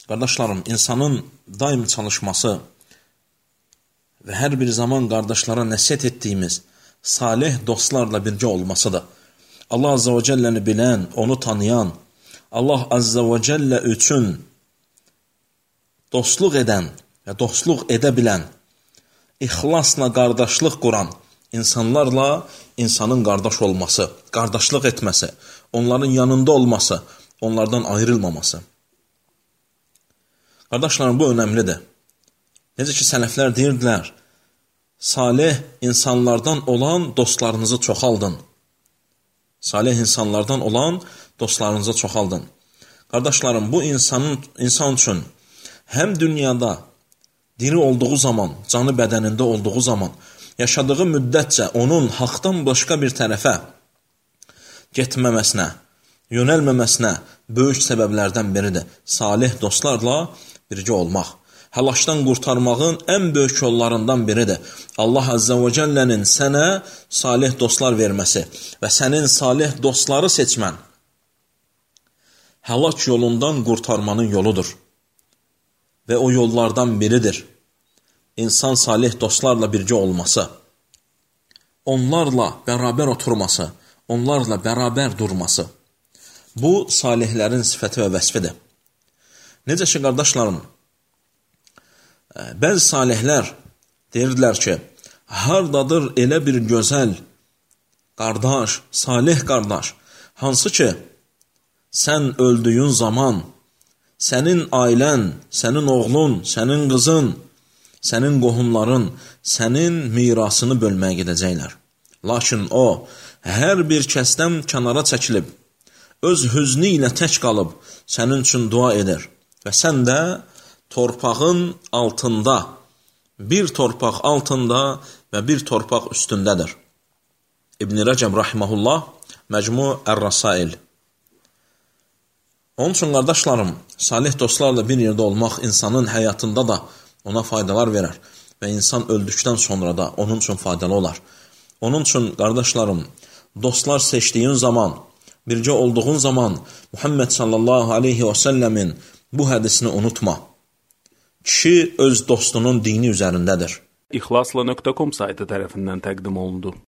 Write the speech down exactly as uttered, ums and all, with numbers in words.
Qardaşlarım, insanın daim çalışması və hər bir zaman qardaşlara nəsihət etdiyimiz salih dostlarla birgə olmasıdır. Allah Azza və Cəlləni bilən, onu tanıyan, Allah Azza və Cəllə üçün dostluq edən və dostluq edə bilən, ixlasla qardaşlıq quran insanlarla insanın qardaş olması, qardaşlıq etməsi, onların yanında olması, onlardan ayrılmaması. Qardaşlarım, bu önəmlidir. Necə ki, sələflər deyirdilər, salih insanlardan olan dostlarınızı çoxaldın. Salih insanlardan olan dostlarınızı çoxaldın. Qardaşlarım, bu insanın, insan üçün həm dünyada diri olduğu zaman, canı bədənində olduğu zaman, yaşadığı müddətcə onun haqdan başqa bir tərəfə getməməsinə, yönəlməməsinə böyük səbəblərdən biridir. Salih dostlarla birgə olmaq. Həlakdan qurtarmağın ən böyük yollarından biridir. Allah Azza və Cəllənin sənə salih dostlar verməsi və sənin salih dostları seçmən həlak yolundan qurtarmanın yoludur. Və o yollardan biridir. İnsan salih dostlarla birgə olması, onlarla bərabər oturması, onlarla bərabər durması. Bu, salihlərin sifəti və vəsfidir. Necə ki, qardaşlarım, bəzi salihlər deyirdilər ki, hardadır elə bir gözəl qardaş, salih qardaş, hansı ki, sən öldüyün zaman sənin ailən, sənin oğlun, sənin qızın, sənin qohumların sənin mirasını bölməyə gedəcəklər. Lakin o, hər bir kəsdən kənara çəkilib, öz hüznü ilə tək qalıb, sənin üçün dua edir. Və sən də torpağın altında, bir torpaq altında və bir torpaq üstündədir. İbn-i Rəcəb Rahiməhullah, Məcmu Ər-Rasail. Onun üçün, qardaşlarım, salih dostlarla bir yerdə olmaq insanın həyatında da ona faydalar verər və insan öldükdən sonra da onun üçün faydalı olar. Onun üçün, qardaşlarım, dostlar seçdiyin zaman, bircə olduğun zaman Muhammed sallallahu aleyhi və səlləmin bu hədisini unutma. Kişi öz dostunun dini üzərindədir. İxlasla nöqtə com saytı tərəfindən təqdim olundu.